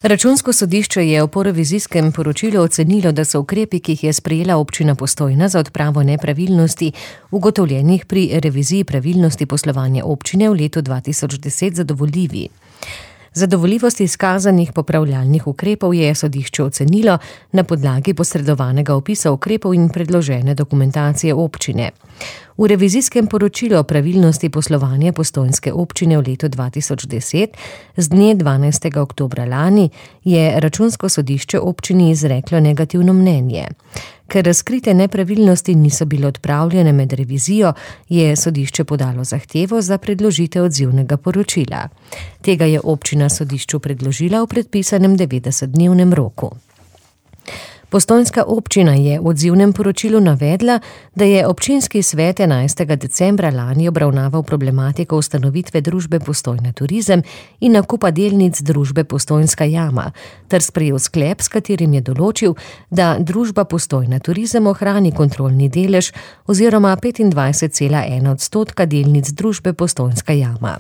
Računsko sodišče je v porevizijskem poročilu ocenilo, da so ukrepi, ki jih je sprejela občina Postojna za odpravo nepravilnosti, ugotovljenih pri reviziji pravilnosti poslovanja občine v letu 2010 zadovoljivi. Zadovoljivost izkazanih popravljalnih ukrepov je sodišče ocenilo na podlagi posredovanega opisa ukrepov in predložene dokumentacije občine. V revizijskem poročilu o pravilnosti poslovanja postojnske občine v letu 2010 z dne 12. oktobra lani je Računsko sodišče občini izreklo negativno mnenje. Ker razkrite nepravilnosti niso bile odpravljene med revizijo, je sodišče podalo zahtevo za predložitev odzivnega poročila. Tega je občina sodišču predložila v predpisanem 90-dnevnem roku. Postojnska občina je v odzivnem poročilu navedla, da je občinski svet 11. decembra lani obravnaval problematiko ustanovitve družbe Postojna turizem in nakupa delnic družbe Postojnska jama, ter sprejel sklep, s katerim je določil, da družba Postojna turizem ohrani kontrolni delež oziroma 25,1% delnic družbe Postojnska jama.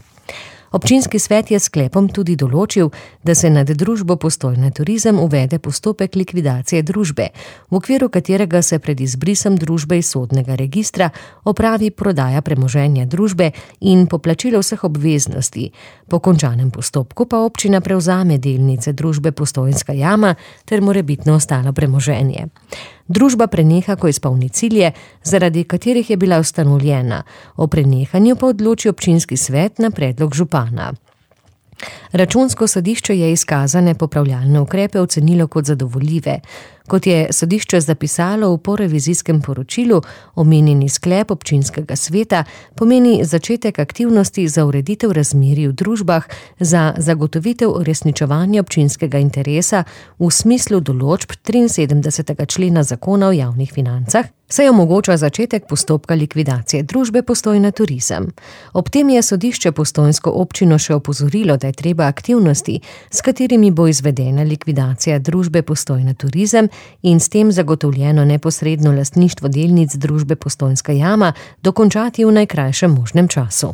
Občinski svet je sklepom tudi določil, da se nad družbo Postojna turizem uvede postopek likvidacije družbe, v okviru katerega se pred izbrisom družbe iz sodnega registra opravi prodaja premoženja družbe in poplačilo vseh obveznosti. Po končanem postopku pa občina prevzame delnice družbe Postojnska jama ter morebitno ostalo premoženje. Družba preneha, ko izpolni cilje, zaradi katerih je bila ustanovljena, o prenehanju pa odloči občinski svet na predlog župana. Računsko sodišče je izkazane popravljalne ukrepe ocenilo kot zadovoljive. Kot je sodišče zapisalo v porevizijskem poročilu, omenjeni sklep občinskega sveta pomeni začetek aktivnosti za ureditev razmerij v družbah za zagotovitev uresničevanja občinskega interesa v smislu določb 73. člena Zakona o javnih financah, saj omogoča začetek postopka likvidacije družbe Postojna turizem. Ob tem je sodišče postojnsko občino še opozorilo, da je treba aktivnosti, s katerimi bo izvedena likvidacija družbe Postojna turizem in s tem zagotovljeno neposredno lastništvo delnic družbe Postojnska jama, dokončati v najkrajšem možnem času.